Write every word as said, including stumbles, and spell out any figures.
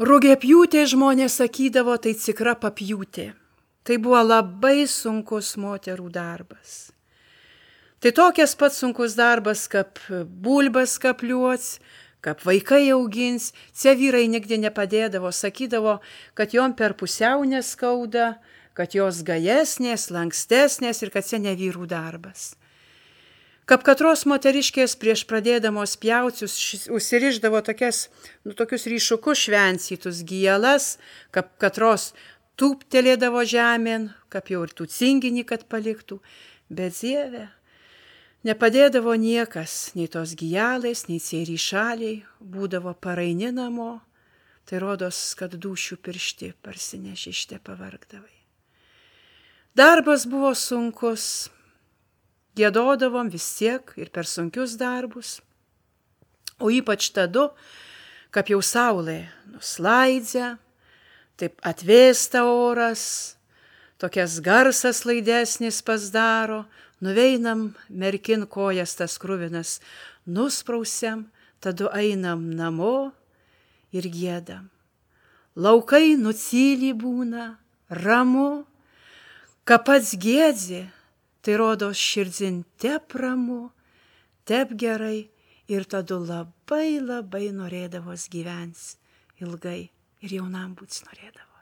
Rugiapjūtė žmonės sakydavo, tai tikra papjūtė. Tai buvo labai sunkus moterų darbas. Tai tokias pats sunkus darbas, kaip bulbas kapliuots, kaip vaikai augins. Čia vyrai nigdy nepadėdavo, sakydavo, kad jom per pusiau neskauda, kad jos gajesnės, lankstesnės ir kad čia ne vyrų darbas. Kaip katros moteriškės prieš pradėdamos pjaucius užsiriždavo tokias, nu, tokius ryšukus švencytus gijelas, kaip katros tūptelėdavo žemėn, kaip jau ir tų cinginį, kad paliktų. Bet Dieve, nepadėdavo niekas, nei tos gijalais, nei tie ryšaliai, būdavo paraini namo, tai rodos, kad dūšių piršti parsinešište pavargdavai. Darbas buvo sunkus. Giedodavom vis tiek ir per sunkius darbus, o ypač tada, kaip jau saulė nuslaidžia, taip atvėsta oras, tokias garsas laidesnis pasidaro, nuveinam merkin kojas tas kruvinas, nusprausiam, tada einam namo ir giedam. Laukai nutyli būna, ramu, ką pats giedzi, tai rodos širdzin tep ramu, tep gerai ir tada labai labai norėdavos gyvens ilgai ir jaunam būts norėdavo.